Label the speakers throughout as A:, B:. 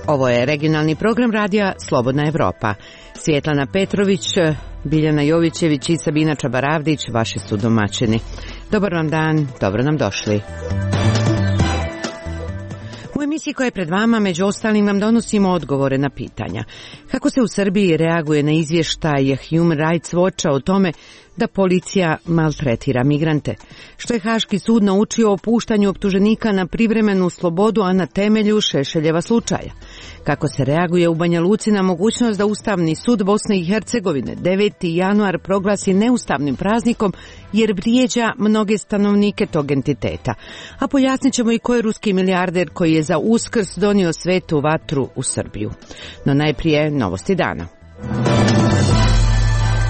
A: Ovo je regionalni program radija Slobodna Evropa. Svjetlana Petrović, Biljana Jovićević i Sabina Čabaravdić, vaši su domaćini. Dobar vam dan, dobro nam došli. U emisiji koja je pred vama, među ostalim, vam donosimo odgovore na pitanja. Kako se u Srbiji reaguje na izvještaj Human Rights Watcha o tome da policija maltretira migrante? Što je Haški sud naučio o puštanju optuženika na privremenu slobodu, a na temelju Šešeljeva slučaja? Kako se reaguje u Banja Luci na mogućnost da Ustavni sud Bosne i Hercegovine 9. januar proglasi neustavnim praznikom jer vrijeđa mnoge stanovnike tog entiteta? A pojasnit ćemo i ko je ruski milijarder koji je za Uskrs donio svetu vatru u Srbiju. No najprije novosti dana.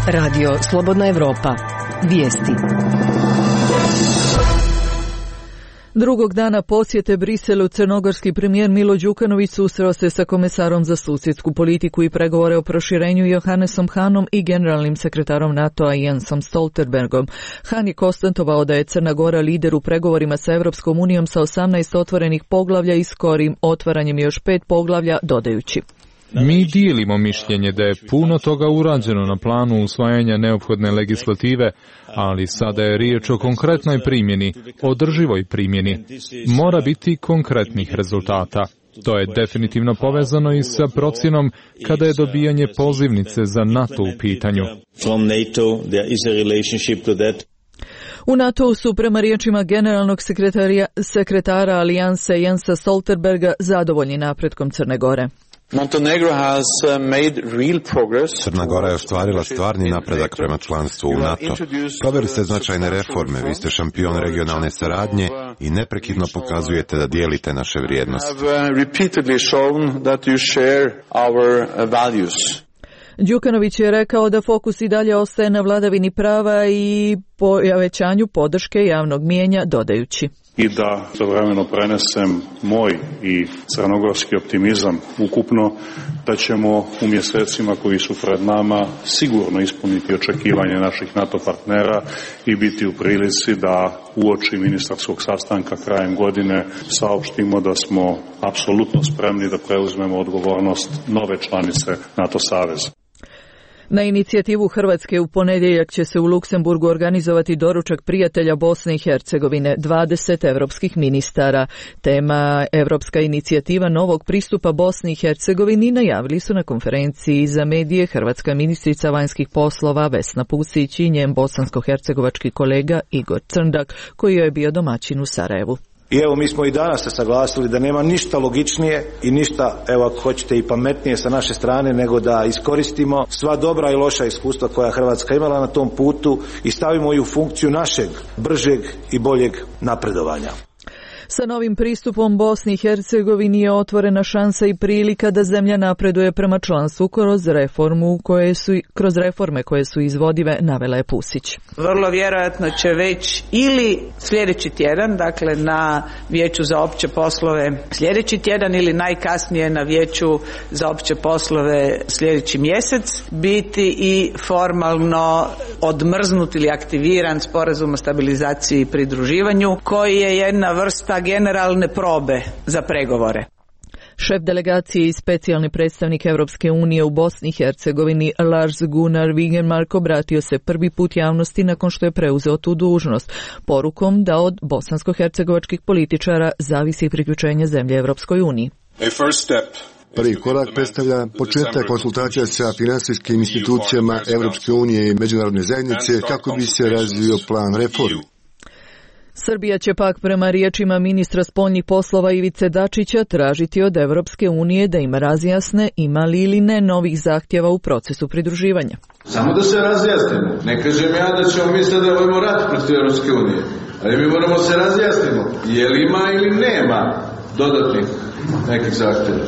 B: Radio Slobodna Evropa. Vijesti. Drugog dana posjete Briselu crnogorski premijer Milo Đukanović susreo se sa komesarom za susjedsku politiku i pregovore o proširenju Johannesom Hanom i generalnim sekretarom NATO-a Jensom Stoltenbergom. Han je konstatovao da je Crna Gora lider u pregovorima sa Evropskom unijom sa 18 otvorenih poglavlja i skorim otvaranjem još 5 poglavlja, dodajući:
C: Mi dijelimo mišljenje da je puno toga urađeno na planu usvajanja neophodne legislative, ali sada je riječ o konkretnoj primjeni, održivoj primjeni. Mora biti konkretnih rezultata. To je definitivno povezano i sa procjenom kada je dobijanje pozivnice za NATO u pitanju.
B: U NATO-u su prema riječima generalnog sekretara Alijanse Jensa Stoltenberga zadovoljni napretkom Crne Gore.
D: Crna Gora je ostvarila stvarni napredak prema članstvu u NATO. Proveli ste značajne reforme, vi ste šampion regionalne saradnje i neprekidno pokazujete da dijelite naše vrijednosti.
B: Đukanović je rekao da fokus i dalje ostaje na vladavini prava i povećanju podrške javnog mijenja, dodajući:
E: I da istovremeno prenesem moj i crnogorski optimizam ukupno, da ćemo u mjesecima koji su pred nama sigurno ispuniti očekivanje naših NATO partnera i biti u prilici da uoči ministarskog sastanka krajem godine saopštimo da smo apsolutno spremni da preuzmemo odgovornost nove članice NATO saveza.
B: Na inicijativu Hrvatske u ponedjeljak će se u Luksemburgu organizovati doručak prijatelja Bosne i Hercegovine, 20 evropskih ministara. Tema Evropska inicijativa novog pristupa Bosni i Hercegovini najavili su na konferenciji za medije hrvatska ministrica vanjskih poslova Vesna Pusić i njen bosansko-hercegovački kolega Igor Crndak, koji je bio domaćin u Sarajevu.
F: I evo, mi smo i danas se saglasili da nema ništa logičnije i ništa, evo ako hoćete, i pametnije sa naše strane nego da iskoristimo sva dobra i loša iskustva koja Hrvatska imala na tom putu i stavimo ju u funkciju našeg bržeg i boljeg napredovanja.
B: Sa novim pristupom Bosni i Hercegovini je otvorena šansa i prilika da zemlja napreduje prema članstvu kroz reforme koje su izvodive, navela je Pusić.
G: Vrlo vjerojatno će već ili sljedeći tjedan, dakle na Vijeću za opće poslove sljedeći tjedan ili najkasnije na Vijeću za opće poslove sljedeći mjesec, biti i formalno odmrznut ili aktiviran sporazum o stabilizaciji i pridruživanju, koji je jedna vrsta generalne probe za pregovore.
B: Šef delegacije i specijalni predstavnik Europske unije u Bosni i Hercegovini Lars Gunnar Wigenmark obratio se prvi put javnosti nakon što je preuzeo tu dužnost, porukom da od bosansko-hercegovačkih političara zavisi priključenje zemlje Europskoj uniji.
H: Prvi korak predstavlja početak konsultacija sa finansijskim institucijama Europske unije i međunarodne zajednice kako bi se razvio plan reformi.
B: Srbija će pak prema riječima ministra spoljnih poslova Ivice Dačića tražiti od Evropske unije da im razjasne ima li ili ne novih zahtjeva u procesu pridruživanja.
I: Samo da se razjasnimo. Ne kažem ja da ćemo mi sada vodimo rat protiv Evropske unije, ali mi moramo se razjasnimo je li ima ili nema dodatnih nekih zahtjeva.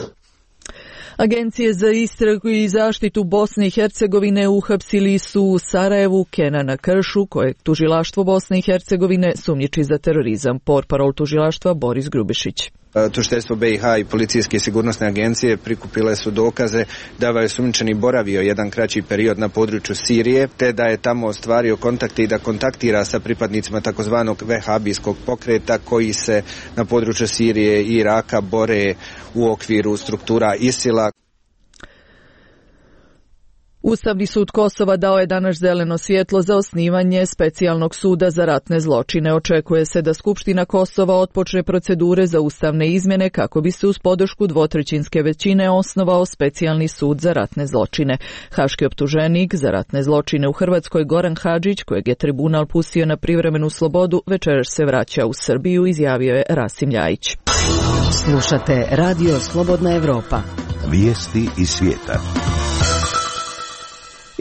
B: Agencije za istragu i zaštitu Bosne i Hercegovine uhapsili su u Sarajevu Kenana Kršu, kojeg tužilaštvo Bosne i Hercegovine sumnjiči za terorizam, portparol tužilaštva Boris Grubišić.
J: Tužiteljstvo BiH i policijske i sigurnosne agencije prikupile su dokaze da je osumnjičeni boravio jedan kraći period na području Sirije, te da je tamo ostvario kontakte i da kontaktira sa pripadnicima takozvanog vehabijskog pokreta koji se na području Sirije i Iraka bore u okviru struktura ISIL-a.
B: Ustavni sud Kosova dao je danas zeleno svjetlo za osnivanje specijalnog suda za ratne zločine. Očekuje se da Skupština Kosova otpočne procedure za ustavne izmjene kako bi se uz podršku dvotrećinske većine osnovao specijalni sud za ratne zločine. Haški optuženik za ratne zločine u Hrvatskoj Goran Hadžić, kojeg je tribunal pustio na privremenu slobodu, večeras se vraća u Srbiju, izjavio je Rasim Ljajić.
K: Slušate Radio Slobodna Evropa. Vijesti iz svijeta.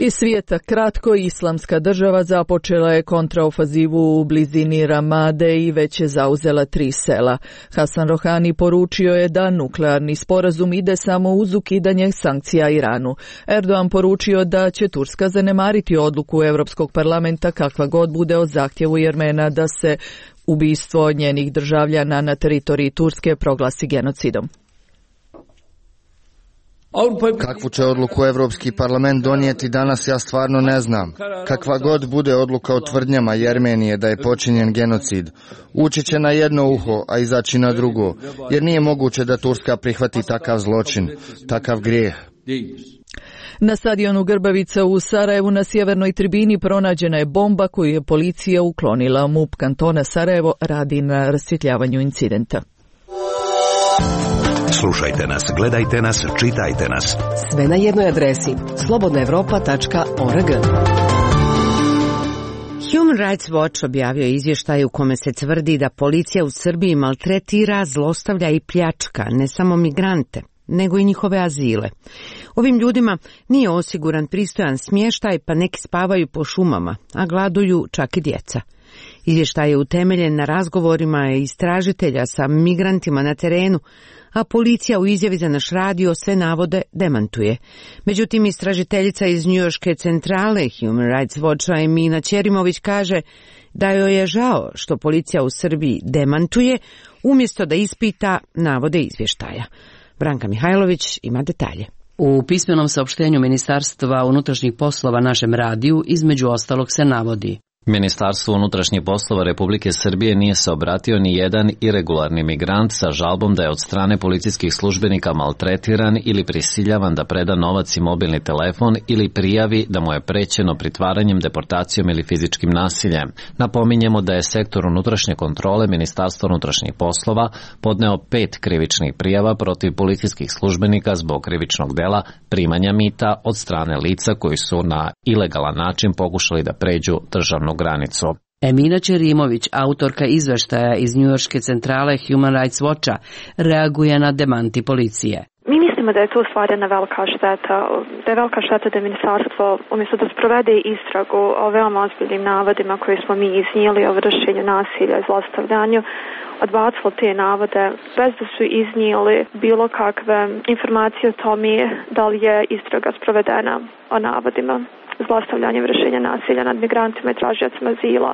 B: Iz svijeta kratko, Islamska država započela je kontraofazivu u blizini Ramade i već je zauzela 3 sela. Hasan Rohani poručio je da nuklearni sporazum ide samo uz ukidanje sankcija Iranu. Erdogan poručio da će Turska zanemariti odluku Europskog parlamenta kakva god bude o zahtjevu Jermena da se ubistvo njenih državljana na teritoriji Turske proglasi genocidom.
L: Kakvu će odluku Europski parlament donijeti danas, ja stvarno ne znam. Kakva god bude odluka o tvrdnjama Jermenije da je počinjen genocid, ući će na jedno uho, a izaći na drugo, jer nije moguće da Turska prihvati takav zločin, takav grijeh.
B: Na stadionu Grbavica u Sarajevu na sjevernoj tribini pronađena je bomba koju je policija uklonila. MUP kantona Sarajevo radi na rasvjetljavanju incidenta.
K: Slušajte nas, gledajte nas, čitajte nas. Sve na jednoj adresi slobodnaevropa.org.
A: Human Rights Watch objavio je izvještaj u kome se tvrdi da policija u Srbiji maltretira, zlostavlja i pljačka ne samo migrante, nego i njihove azile. Ovim ljudima nije osiguran pristojan smještaj, pa neki spavaju po šumama, a gladuju čak i djeca. Izvještaj je utemeljen na razgovorima istražitelja sa migrantima na terenu, a policija u izjavi za naš radio sve navode demantuje. Međutim, istražiteljica iz njujorške centrale Human Rights Watcha Emina Ćerimović kaže da joj je žao što policija u Srbiji demantuje umjesto da ispita navode izvještaja. Branka Mihajlović ima detalje.
M: U pismenom saopštenju Ministarstva unutrašnjih poslova našem radiju između ostalog se navodi:
N: Ministarstvo unutrašnjih poslova Republike Srbije nije se obratio ni jedan iregularni migrant sa žalbom da je od strane policijskih službenika maltretiran ili prisiljavan da preda novac i mobilni telefon ili prijavi da mu je prećeno pritvaranjem, deportacijom ili fizičkim nasiljem. Napominjemo da je sektor unutrašnje kontrole Ministarstva unutrašnjih poslova podneo 5 krivičnih prijava protiv policijskih službenika zbog krivičnog dela primanja mita od strane lica koji su na ilegalan način pokušali da pređu državnu granicu.
M: Emina Ćerimović, autorka izveštaja iz njujorške centrale Human Rights Watcha, reaguje na demanti policije.
O: Mi mislimo da je to stvarna velika šteta. Da je velika šteta da ministarstvo, umjesto da sprovede istragu o veoma ozbiljnim navodima koje smo mi iznijeli o vršenju nasilja i zlostavljanju, odbacilo te navode bez da su iznijeli bilo kakve informacije o tome da li je istraga sprovedena o navodima zlostavljanja, vršenja nasilja nad migrantima i tražiocima azila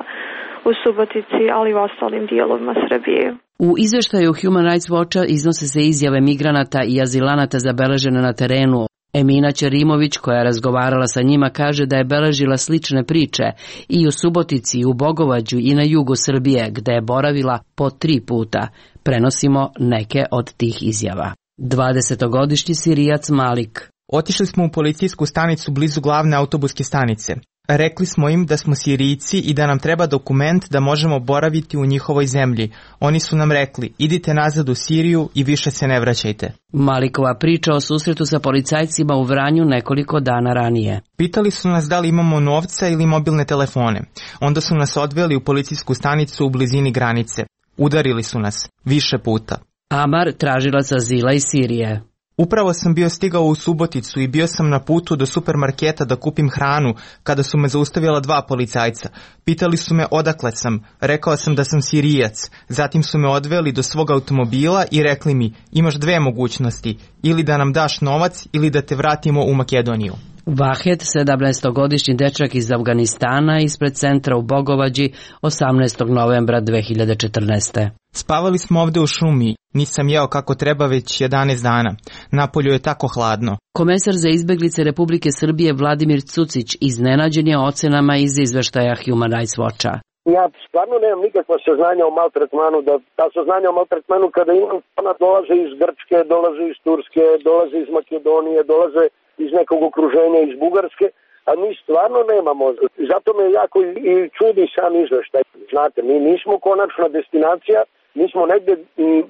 O: u Subotici, ali i u ostalim dijelovima Srbije.
M: U izvještaju Human Rights Watcha iznose se izjave migranata i azilanata zabeležene na terenu. Emina Ćerimović, koja je razgovarala sa njima, kaže da je beležila slične priče i u Subotici, i u Bogovađu i na jugu Srbije, gde je boravila po 3 puta. Prenosimo neke od tih izjava. 20-godišnji Sirijac Malik.
P: Otišli smo u policijsku stanicu blizu glavne autobuske stanice. Rekli smo im da smo Sirijci i da nam treba dokument da možemo boraviti u njihovoj zemlji. Oni su nam rekli, idite nazad u Siriju i više se ne vraćajte.
M: Malikova priča o susretu sa policajcima u Vranju nekoliko dana ranije.
P: Pitali su nas da li imamo novca ili mobilne telefone. Onda su nas odveli u policijsku stanicu u blizini granice. Udarili su nas više puta.
M: Amar, tražilac azila iz Sirije.
P: Upravo sam bio stigao u Suboticu i bio sam na putu do supermarketa da kupim hranu kada su me zaustavila 2 policajca. Pitali su me odakle sam, rekao sam da sam Sirijac. Zatim su me odveli do svog automobila i rekli mi, imaš 2 mogućnosti, ili da nam daš novac ili da te vratimo u Makedoniju.
M: Vahed, 17-godišnji dečak iz Afganistana, ispred centra u Bogovađi 18. novembra 2014.
P: Spavali smo ovde u šumi, nisam jeo kako treba već 11 dana. Napolju je tako hladno.
M: Komesar za izbeglice Republike Srbije Vladimir Cucić iznenađen je ocenama iz izveštaja Human Rights Watcha.
Q: Ja stvarno nemam nikakva saznanja o maltretmanu, da ta saznanja o maltretmanu kada imam, ona dolaze iz Grčke, dolaze iz Turske, dolaze iz Makedonije, dolaze iz nekog okruženja, iz Bugarske, a mi stvarno nemamo. Zato me jako i čudi sam izveštaj. Znate, mi nismo konačna destinacija, mi smo negde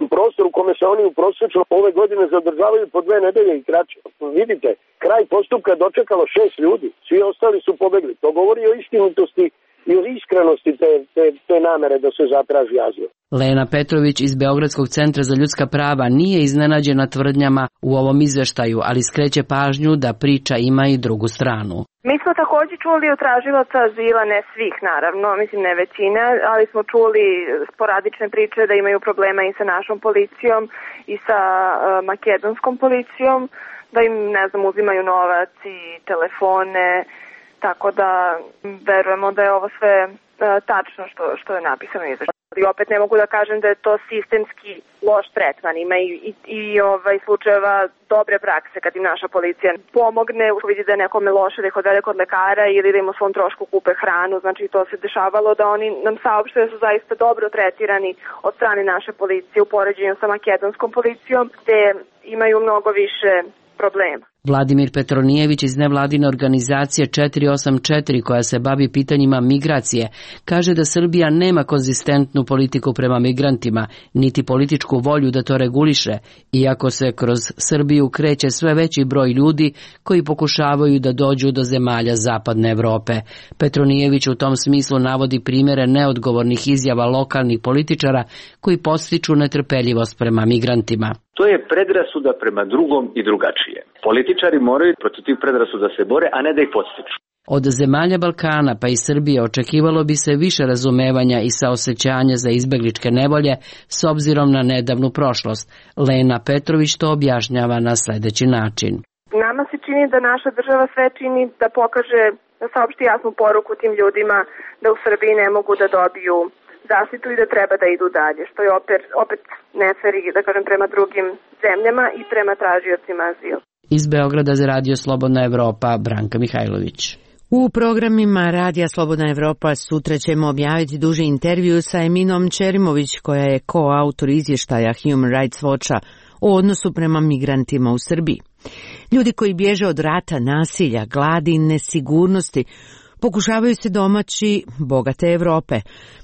Q: u prostoru u kome se oni prosječno ove godine zadržavaju po 2 nedelje i kraće. Vidite, kraj postupka dočekalo 6 ljudi, svi ostali su pobegli. To govori o istinitosti i o iskrenosti te namere da se zatraži azil.
M: Lena Petrović iz Beogradskog centra za ljudska prava nije iznenađena tvrdnjama u ovom izveštaju, ali skreće pažnju da priča ima i drugu stranu.
R: Mi smo također čuli od tražilaca azila, ne svih naravno, mislim ne većine, ali smo čuli sporadične priče da imaju problema i sa našom policijom i sa makedonskom policijom, da im, ne znam, uzimaju novac i telefone, tako da verujemo da je ovo sve tačno što je napisano u izveštaju. I opet ne mogu da kažem da je to sistemski loš tretman. Ima i slučajeva dobre prakse kad im naša policija pomogne, vidi da je nekome loše, da ih odvede kod lekara ili da im u svom trošku kupe hranu. Znači to se dešavalo da oni nam saopšte da su zaista dobro tretirani od strane naše policije u poređenju sa makedonskom policijom, gde imaju mnogo više problema.
M: Vladimir Petronijević iz nevladine organizacije 484 koja se bavi pitanjima migracije kaže da Srbija nema konzistentnu politiku prema migrantima, niti političku volju da to reguliše, iako se kroz Srbiju kreće sve veći broj ljudi koji pokušavaju da dođu do zemalja zapadne Evrope. Petronijević u tom smislu navodi primjere neodgovornih izjava lokalnih političara koji podstiču netrpeljivost prema migrantima.
S: To je predrasuda prema drugom i drugačije. Političari moraju protiv tih predrasuda se bore, a ne da ih podstiču.
M: Od zemalja Balkana pa i Srbije očekivalo bi se više razumevanja i saosećanja za izbegličke nevolje s obzirom na nedavnu prošlost. Lena Petrović to objašnjava na sljedeći način.
R: Nama se čini da naša država sve čini da pokaže, da saopšti jasnu poruku tim ljudima da u Srbiji ne mogu da dobiju zaštitu i da treba da idu dalje, što je opet neferi, da kažem, prema drugim zemljama i prema tražiocima azila.
M: Iz Beograda za Radio Slobodna Evropa, Branka Mihajlović.
A: U programima Radija Slobodna Evropa sutra ćemo objaviti duži intervju sa Eminom Čerimović, koja je koautor izvještaja Human Rights Watcha o odnosu prema migrantima u Srbiji. Ljudi koji bježe od rata, nasilja, gladi i nesigurnosti pokušavaju se domaći bogate Evrope.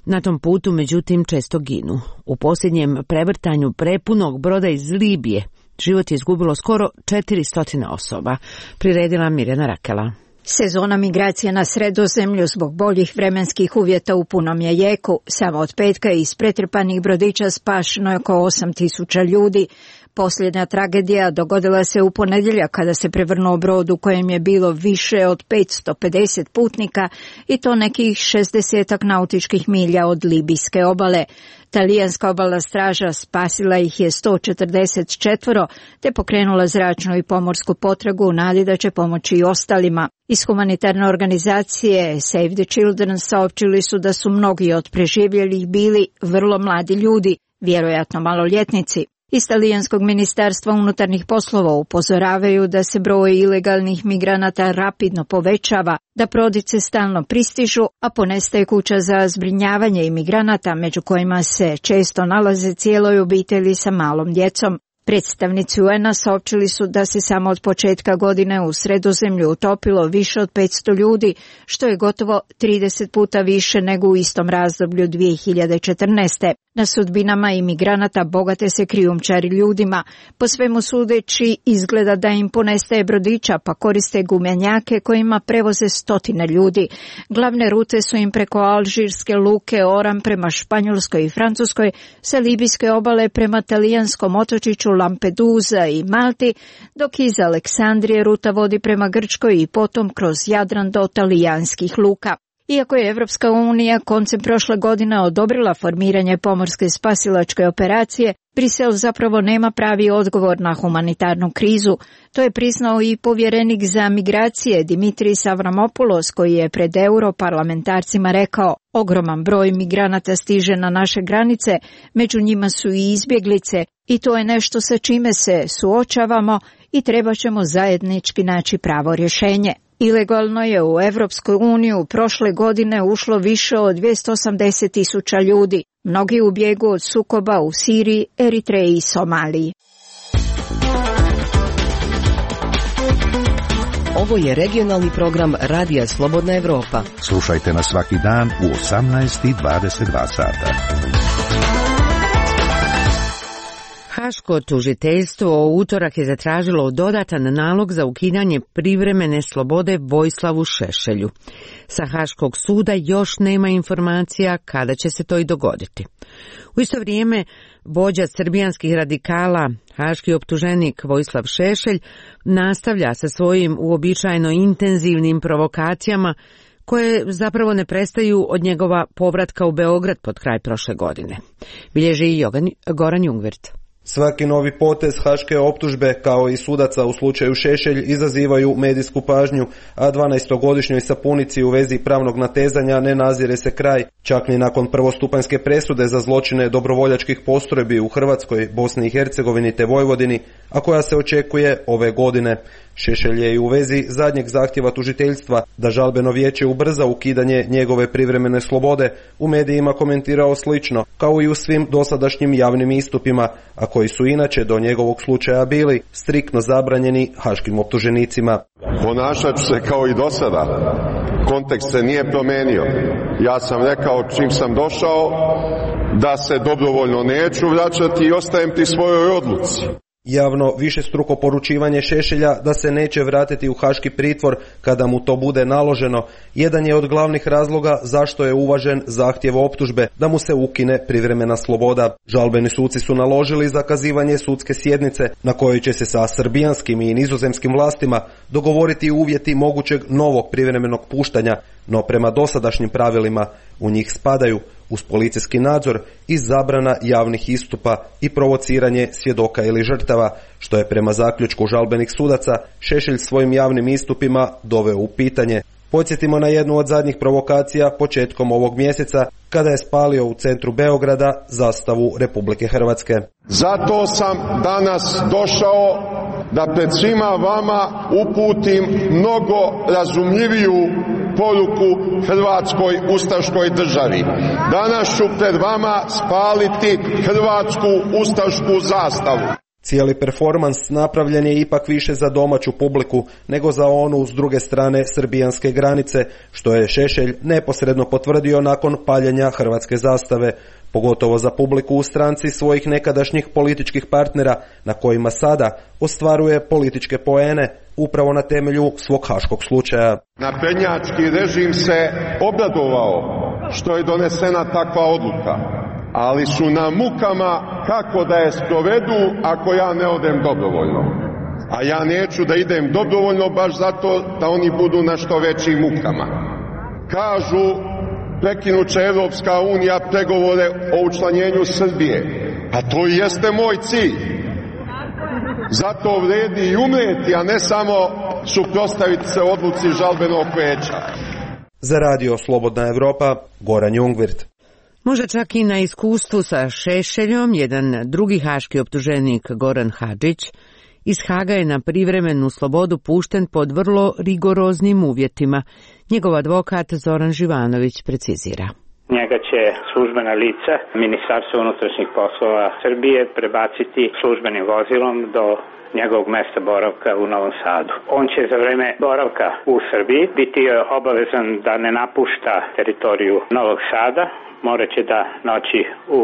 A: Na tom putu, međutim, često ginu. U posljednjem prevrtanju prepunog broda iz Libije život je izgubilo skoro 400 osoba, priredila Mirjana Rakela.
T: Sezona migracija na Sredozemlju zbog boljih vremenskih uvjeta u punom je jeku. Samo od petka iz pretrpanih brodića spašeno je oko 8.000 ljudi. Posljednja tragedija dogodila se u ponedjeljak kada se prevrnuo brod u kojem je bilo više od 550 putnika i to nekih 60 nautičkih milja od libijske obale. Talijanska obalna straža spasila ih je 144 te pokrenula zračnu i pomorsku potragu u nadi da će pomoći i ostalima. Iz humanitarne organizacije Save the Children saopćili su da su mnogi od preživjelih bili vrlo mladi ljudi, vjerojatno maloljetnici. Iz Talijanskog ministarstva unutarnjih poslova upozoravaju da se broj ilegalnih migranata rapidno povećava, da brodice stalno pristižu, a ponestaje kuća za zbrinjavanje imigranata, među kojima se često nalaze cijeloj obitelji sa malom djecom. Predstavnici UN-a saopćili su da se samo od početka godine u Sredozemlju utopilo više od 500 ljudi, što je gotovo 30 puta više nego u istom razdoblju 2014. Na sudbinama imigranata bogate se krijumčari ljudima. Po svemu sudeći izgleda da im ponestaje brodića, pa koriste gumenjake kojima prevoze stotine ljudi. Glavne rute su im preko alžirske luke Oran prema Španjolskoj i Francuskoj, sa libijske obale prema talijanskom otočiću Lampedusa i Malti, dok iz Aleksandrije ruta vodi prema Grčkoj i potom kroz Jadran do talijanskih luka. Iako je Evropska unija koncem prošle godine odobrila formiranje pomorske spasilačke operacije, Brisel zapravo nema pravi odgovor na humanitarnu krizu. To je priznao i povjerenik za migracije Dimitris Avramopoulos, koji je pred europarlamentarcima rekao: ogroman broj migranata stiže na naše granice, među njima su i izbjeglice, i to je nešto sa čime se suočavamo i treba ćemo zajednički naći pravo rješenje. Ilegalno je u Evropsku uniju prošle godine ušlo više od 280.000 ljudi, mnogi u bijegu od sukoba u Siriji, Eritreji i Somaliji.
K: Ovo je regionalni program Radija Slobodna Evropa.
U: Slušajte nas svaki dan u 18:22 sata.
A: Haško tužiteljstvo u utorak je zatražilo dodatan nalog za ukidanje privremene slobode Vojislavu Šešelju. Sa Haškog suda još nema informacija kada će se to i dogoditi. U isto vrijeme, vođa srbijanskih radikala, haški optuženik Vojislav Šešelj, nastavlja sa svojim uobičajeno intenzivnim provokacijama koje zapravo ne prestaju od njegova povratka u Beograd pod kraj prošle godine. Bilježi i Goran Jungwirth.
V: Svaki novi potez haške optužbe, kao i sudaca u slučaju Šešelj, izazivaju medijsku pažnju, a 12-godišnjoj sapunici u vezi pravnog natezanja ne nazire se kraj, čak ni nakon prvostupanjske presude za zločine dobrovoljačkih postrojbi u Hrvatskoj, Bosni i Hercegovini te Vojvodini, a koja se očekuje ove godine. Šešelj je i u vezi zadnjeg zahtjeva tužiteljstva da žalbeno vijeće ubrza ukidanje njegove privremene slobode u medijima komentirao slično, kao i u svim dosadašnjim javnim istupima, a koji su inače do njegovog slučaja bili striktno zabranjeni haškim optuženicima.
W: Ponašat ću se kao i do sada. Kontekst se nije promenio. Ja sam rekao čim sam došao da se dobrovoljno neću vraćati i ostajem pri svojoj odluci.
V: Javno višestruko poručivanje Šešelja da se neće vratiti u haški pritvor kada mu to bude naloženo, jedan je od glavnih razloga zašto je uvažen zahtjev optužbe da mu se ukine privremena sloboda. Žalbeni suci su naložili zakazivanje sudske sjednice na kojoj će se sa srbijanskim i nizozemskim vlastima dogovoriti uvjeti mogućeg novog privremenog puštanja, no prema dosadašnjim pravilima u njih spadaju uz policijski nadzor i zabrana javnih istupa i provociranje svjedoka ili žrtava, što je prema zaključku žalbenih sudaca Šešelj svojim javnim istupima doveo u pitanje. Podsjetimo na jednu od zadnjih provokacija početkom ovog mjeseca, kada je spalio u centru Beograda zastavu Republike Hrvatske.
W: Zato sam danas došao da pred svima vama uputim mnogo razumljiviju poruku Hrvatskoj ustaškoj državi. Danas ću pred vama spaliti hrvatsku ustašku zastavu.
V: Cijeli performans napravljen je ipak više za domaću publiku nego za onu s druge strane srbijanske granice, što je Šešelj neposredno potvrdio nakon paljenja hrvatske zastave, pogotovo za publiku u stranci svojih nekadašnjih političkih partnera na kojima sada ostvaruje političke poene upravo na temelju svog haškog slučaja.
W: Naprednjački režim se obradovao što je donesena takva odluka, ali su na mukama kako da je sprovedu ako ja ne odem dobrovoljno. A ja neću da idem dobrovoljno baš zato da oni budu na što većim mukama. Kažu, prekinuće Evropska unija pregovore o učlanjenju Srbije. A to i jeste moj cilj. Zato vredi i umreti, a ne samo suprotstaviti se odluci žalbenog vijeća.
V: Za Radio Slobodna Evropa, Goran Jungwirth.
A: Možda čak i na iskustvu sa Šešeljom, jedan drugi haški optuženik Goran Hadžić iz Haga je na privremenu slobodu pušten pod vrlo rigoroznim uvjetima. Njegov advokat Zoran Živanović precizira.
X: Njega će službena lica Ministarstva unutrašnjih poslova Srbije prebaciti službenim vozilom do njegovog mesta boravka u Novom Sadu. On će za vreme boravka u Srbiji biti obavezan da ne napušta teritoriju Novog Sada, morat će da noći u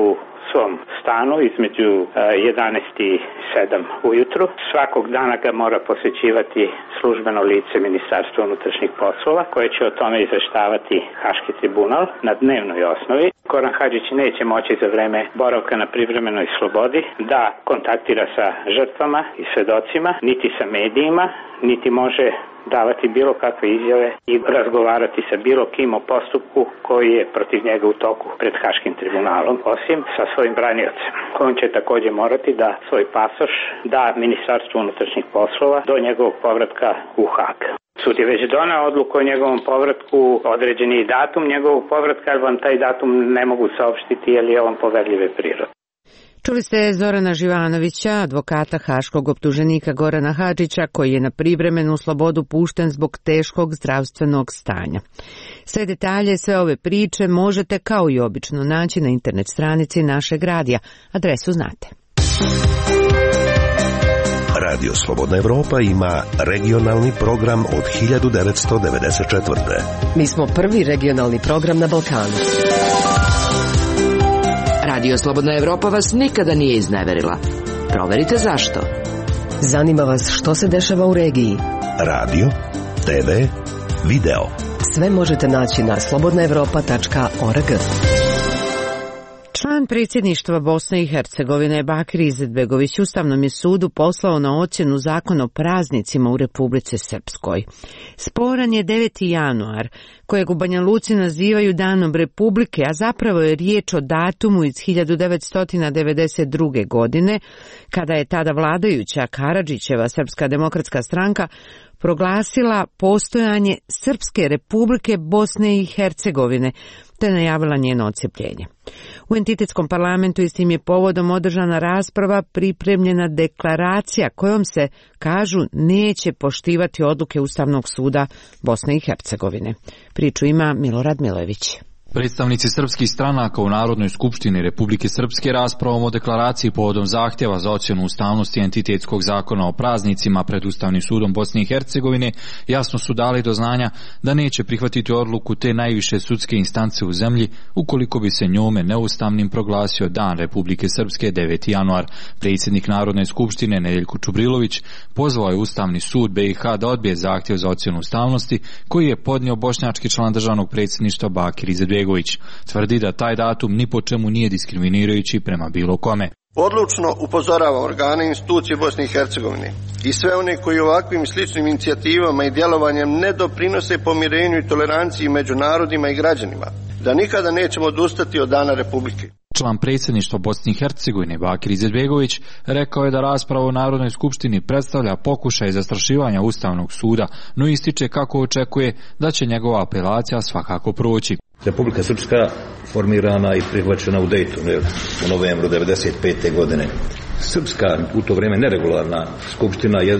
X: svom stanu između 11 i 7 ujutru. Svakog dana ga mora posjećivati službeno lice Ministarstva unutrašnjih poslova koje će o tome izveštavati Haški tribunal na dnevnoj osnovi. Goran Hadžić neće moći za vreme boravka na privremenoj slobodi da kontaktira sa žrtvama i svedocima, niti sa medijima, niti može davati bilo kakve izjave i razgovarati sa bilo kim o postupku koji je protiv njega u toku pred Haškim tribunalom, osim sa svojim braniocem. On će također morati da svoj pasoš da Ministarstvu unutrašnjih poslova do njegovog povratka u Hag. Sud je već donao odluku o njegovom povratku, određen je i datum njegovog povratka, ali vam taj datum ne mogu saopštiti jer je on poverljive prirode.
A: Čuli ste Zorana Živanovića, advokata haškog optuženika Gorana Hadžića, koji je na privremenu slobodu pušten zbog teškog zdravstvenog stanja. Sve detalje, sve ove priče možete kao i obično naći na internet stranici našeg radija. Adresu znate.
U: Radio Slobodna Evropa ima regionalni program od 1994.
K: Mi smo prvi regionalni program na Balkanu.
C: Radio Slobodna Evropa vas nikada nije izneverila. Proverite zašto.
K: Zanima vas što se dešava u regiji.
U: Radio, TV, video.
K: Sve možete naći na slobodnaevropa.org.
A: Član predsjedništva Bosne i Hercegovine Bakir Izetbegović Ustavnom je sudu poslao na ocjenu zakon o praznicima u Republici Srpskoj. Sporan je 9. januar, kojeg u Banja Luci nazivaju Danom Republike, a zapravo je riječ o datumu iz 1992. godine, kada je tada vladajuća Karadžićeva Srpska demokratska stranka proglasila postojanje Srpske Republike Bosne i Hercegovine, te najavila njeno odcjepljenje. U entitetskom parlamentu istim je povodom održana rasprava, pripremljena deklaracija kojom se, kažu, neće poštivati odluke Ustavnog suda Bosne i Hercegovine. Priču ima Milorad Milojević.
D: Predstavnici srpskih stranaka u Narodnoj skupštini Republike Srpske raspravom o deklaraciji povodom zahtjeva za ocjenu ustavnosti entitetskog zakona o praznicima pred Ustavnim sudom Bosne i Hercegovine jasno su dali do znanja da neće prihvatiti odluku te najviše sudske instance u zemlji ukoliko bi se njome neustavnim proglasio Dan Republike Srpske 9. januar. Predsjednik Narodne skupštine Nedeljko Čubrilović pozvao je Ustavni sud BiH da odbije zahtjev za ocjenu ustavnosti koji je podnio bošnjački član državnog predsjedništva Bakir Izetbegović. Tvrdi da taj datum ni po čemu nije diskriminirajući prema bilo kome.
E: Odlučno upozorava organe i institucije Bosne i Hercegovine i sve one koji ovakvim sličnim inicijativama i djelovanjem ne doprinose pomirenju i toleranciji među narodima i građanima, da nikada nećemo odustati od Dana Republike.
D: Član predsjedništva Bosne i Hercegovine Bakir Izetbegović rekao je da rasprava u Narodnoj skupštini predstavlja pokušaj zastrašivanja Ustavnog suda, no ističe kako očekuje da će njegova apelacija svakako proći.
F: Republika Srpska formirana i prihvaćena u Dejtonu u novembru 1995. godine. Srpska, u to vrijeme neregularna skupština je,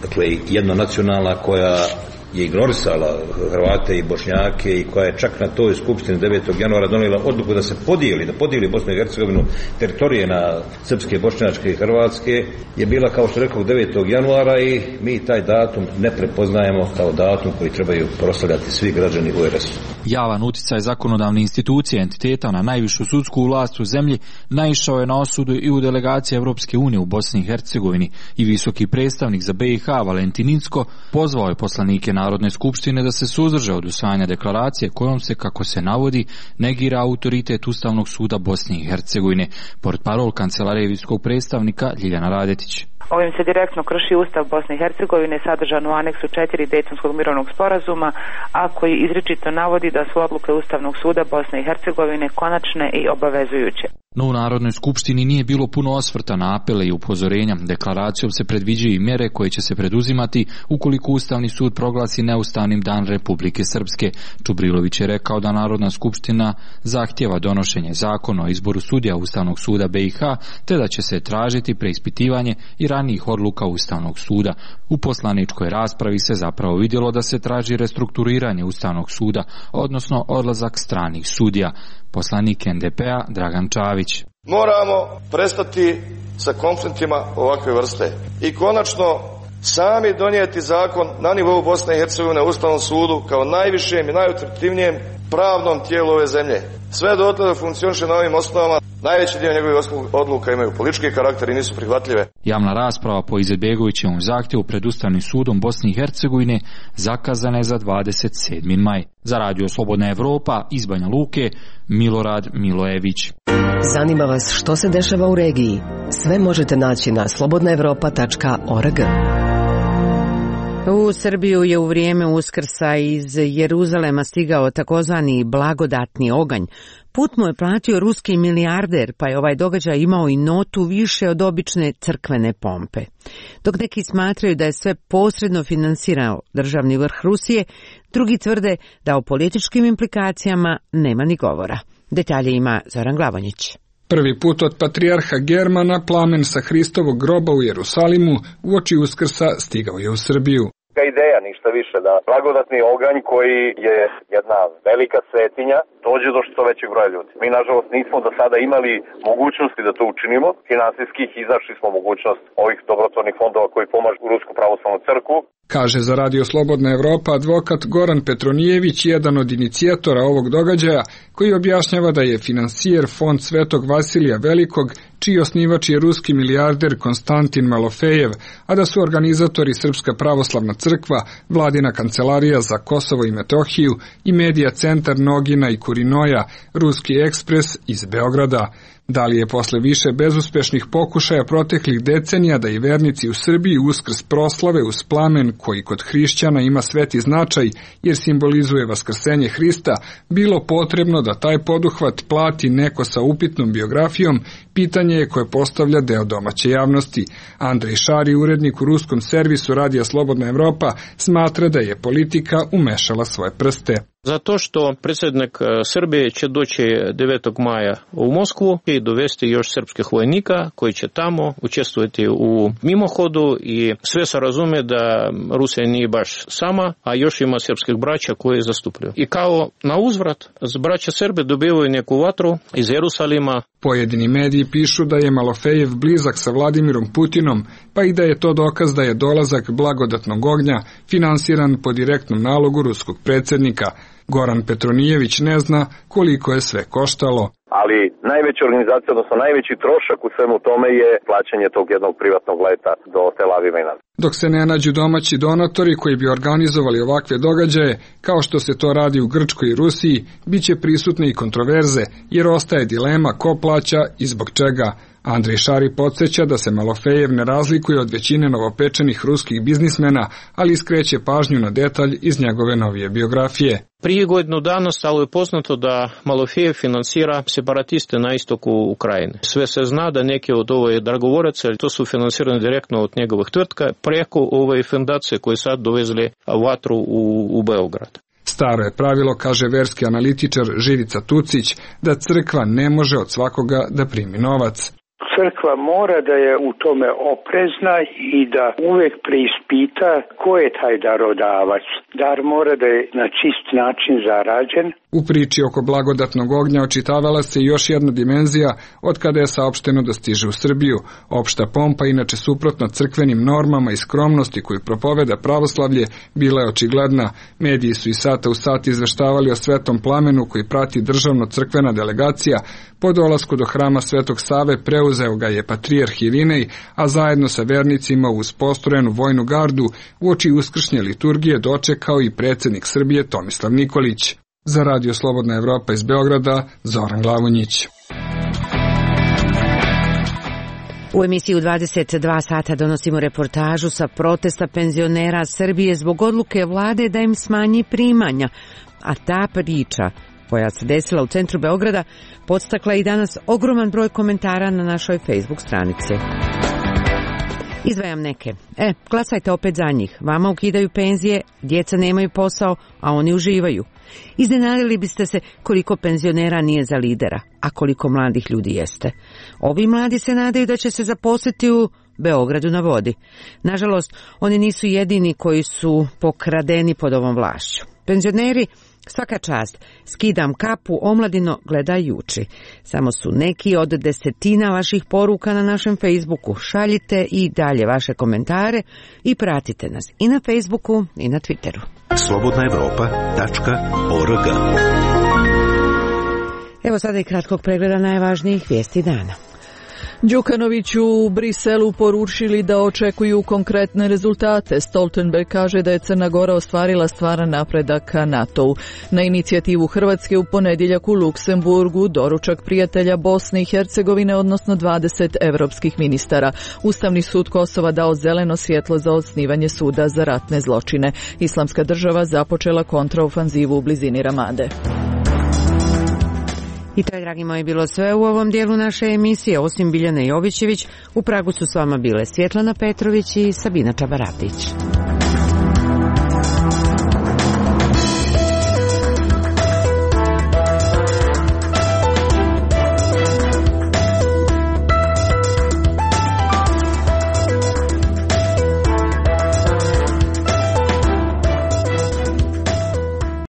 F: dakle, jednonacionalna koja je ignorisala Hrvate i Bošnjake i koja je čak na toj skupštini 9. januara donijela odluku da se podijeli Bosnu i Hercegovinu teritorije na srpske, bošnjačke i hrvatske, je bila, kao što rekao, 9. januara i mi taj datum ne prepoznajemo kao datum koji trebaju proslavljati svi građani u RS.
D: Javan uticaj zakonodavne institucije entiteta na najvišu sudsku vlast u zemlji naišao je na osudu i u delegaciji Evropske unije u Bosni i Hercegovini i visoki predstavnik za BiH Valentin Incko pozvao je poslanike Narodne skupštine da se suzdrže od usvajanja deklaracije kojom se, kako se navodi, negira autoritet Ustavnog suda Bosne i Hercegovine. Portparol kancelarije visokog predstavnika Ljiljana Radetić.
Y: Ovim se direktno krši Ustav Bosne i Hercegovine sadržan u aneksu 4 Dejtonskog mirovnog sporazuma, a koji izričito navodi da su odluke Ustavnog suda Bosne i Hercegovine konačne i obavezujuće.
D: No u Narodnoj skupštini nije bilo puno osvrta na apele i upozorenja. Deklaracijom se predviđaju i mjere koje će se preduzimati ukoliko Ustavni sud proglasi neustavnim Dan Republike Srpske. Čubrilović je rekao da Narodna skupština zahtjeva donošenje zakona o izboru sudija Ustavnog suda BiH, te da će se tražiti preispitivanje i ranijih odluka Ustavnog suda. U poslaničkoj raspravi se zapravo vidjelo da se traži restrukturiranje Ustavnog suda, odnosno odlazak stranih sudija. Poslanik NDP-a Dragan Čavić.
E: Moramo prestati sa konfliktima ovakve vrste i konačno sami donijeti zakon na nivou Bosne i Hercegovine u Ustavnom sudu kao najvišem i najautoritativnijem
G: pravnom tijelu ove zemlje. Sve dotle da funkcioniše na ovim osnovama, najveći dio njegovih odluka imaju politički karakter i nisu prihvatljive.
D: Javna rasprava po Izetbegovićevom zahtjevu pred Ustavnim sudom Bosne i Hercegovine zakazana je za 27. maj. Za Radio Slobodna Evropa iz Banja Luke, Milorad Milojević.
K: Zanima vas što se dešava u regiji? Sve možete naći na slobodnaevropa.org.
A: U Srbiju je u vrijeme Uskrsa iz Jeruzalema stigao takozvani blagodatni oganj. Put mu je platio ruski milijarder, pa je ovaj događaj imao i notu više od obične crkvene pompe. Dok neki smatraju da je sve posredno finansirao državni vrh Rusije, drugi tvrde da o političkim implikacijama nema ni govora. Detalje ima Zoran Glavonjić.
H: Prvi put od patrijarha Germana plamen sa Hristovog groba u Jerusalimu uoči Uskrsa stigao je u Srbiju.
I: Ideja, ništa više, da blagodatni oganj koji je jedna velika svetinja dođe do što većeg broja ljudi. Mi, nažalost, nismo do sada imali mogućnosti da to učinimo. Finansijskih iznašli smo mogućnost ovih dobrotvornih fondova koji pomažu Rusku pravoslavnu crkvu.
H: Kaže za Radio Slobodna Evropa advokat Goran Petronijević, jedan od inicijatora ovog događaja, koji objašnjava da je finansijer fond Svetog Vasilija Velikog, čiji osnivač je ruski milijarder Konstantin Malofejev, a da su organizatori Srpska pravoslavna crkva, Vladina kancelarija za Kosovo i Metohiju i medija centar Nogina i Kurinoja, Ruski ekspres iz Beograda. Da li je posle više bezuspešnih pokušaja proteklih decenija da i vernici u Srbiji Uskrs proslave uz plamen koji kod hrišćana ima sveti značaj jer simbolizuje vaskrsenje Hrista, bilo potrebno da taj poduhvat plati neko sa upitnom biografijom, pitanje je koje postavlja deo domaće javnosti. Andrej Šari, urednik u ruskom servisu Radija Slobodna Evropa, smatra da je politika umešala svoje prste.
J: Zato što predsjednik Srbije će doći 9. maja u Moskvu i dovesti još srpskih vojnika koji će tamo učestvovati u mimohodu i sve se razume da Rusija nije baš sama, a još ima srpskih braća koji zastupljaju. I kao na uzvrat, braća Srbe dobivaju neku vatru iz Jerusalima.
H: Pojedini mediji pišu da je Malofejev blizak sa Vladimirom Putinom, pa i da je to dokaz da je dolazak blagodatnog ognja finansiran po direktnom nalogu ruskog predsjednika. Goran Petronijević ne zna koliko je sve koštalo.
I: Ali najveća organizacija, odnosno najveći trošak u svemu tome je plaćanje tog jednog privatnog leta do Tel Aviva i nazad.
H: Dok se ne nađu domaći donatori koji bi organizovali ovakve događaje, kao što se to radi u Grčkoj i Rusiji, bit će prisutne i kontroverze, jer ostaje dilema ko plaća i zbog čega. Andrej Šari podsjeća da se Malofejev ne razlikuje od većine novopečenih ruskih biznismena, ali skreće pažnju na detalj iz njegove novije biografije.
J: Prije godinu dana stalo je poznato da Malofejev finansira separatiste na istoku Ukrajine. Sve se zna da neki od ove dragovoraca, to su finansirani direktno od njegovih tvrtka, preko ove fundacije koje sad dovezli vatru u Beograd.
H: Staro je pravilo, kaže verski analitičar Živica Tucić, da crkva ne može od svakoga da primi novac.
L: Crkva mora da je u tome oprezna i da uvek preispita ko je taj darodavac. Dar mora da je na čist način zarađen.
H: U priči oko blagodatnog ognja očitavala se još jedna dimenzija od kada je saopšteno da stiže u Srbiju. Opšta pompa, inače suprotna crkvenim normama i skromnosti koju propoveda pravoslavlje, bila je očigledna. Mediji su i sata u sat izveštavali o svetom plamenu koji prati državno-crkvena delegacija. Po dolasku do hrama Svetog Save preuzeo ga je patrijarh Irinej, a zajedno sa vernicima uz postrojenu vojnu gardu uoči uskršnje liturgije dočekao i predsjednik Srbije Tomislav Nikolić. Za Radio Slobodna Evropa iz Beograda, Zoran Glavonjić.
A: U emisiji u 22 sata donosimo reportažu sa protesta penzionera Srbije zbog odluke vlade da im smanji primanja, a ta priča koja se desila u centru Beograda podstakla i danas ogroman broj komentara na našoj Facebook stranici. Izdvajam neke. Glasajte opet za njih. Vama ukidaju penzije, djeca nemaju posao, a oni uživaju. Iznenadili biste se koliko penzionera nije za lidera, a koliko mladih ljudi jeste. Ovi mladi se nadaju da će se zaposliti u Beogradu na vodi. Nažalost, oni nisu jedini koji su pokradeni pod ovom vlašću. Penzioneri, svaka čast, skidam kapu, omladino, gledaj i uči. Samo su neki od desetina vaših poruka na našem Facebooku. Šaljite i dalje vaše komentare i pratite nas i na Facebooku i na Twitteru.
U: slobodnaevropa.org
A: Evo sada i kratkog pregleda najvažnijih vijesti dana.
B: Đukanoviću u Briselu poručili da očekuju konkretne rezultate. Stoltenberg kaže da je Crna Gora ostvarila stvaran napredak ka NATO-u. Na inicijativu Hrvatske u ponedjeljak u Luksemburgu doručak prijatelja Bosne i Hercegovine, odnosno 20 evropskih ministara. Ustavni sud Kosova dao zeleno svjetlo za osnivanje suda za ratne zločine. Islamska država započela kontraofanzivu u blizini Ramade.
A: I to je, dragi moji, bilo sve u ovom dijelu naše emisije. Osim Biljane Jovićević, u Pragu su s vama bile Svjetlana Petrović i Sabina Čabaratić.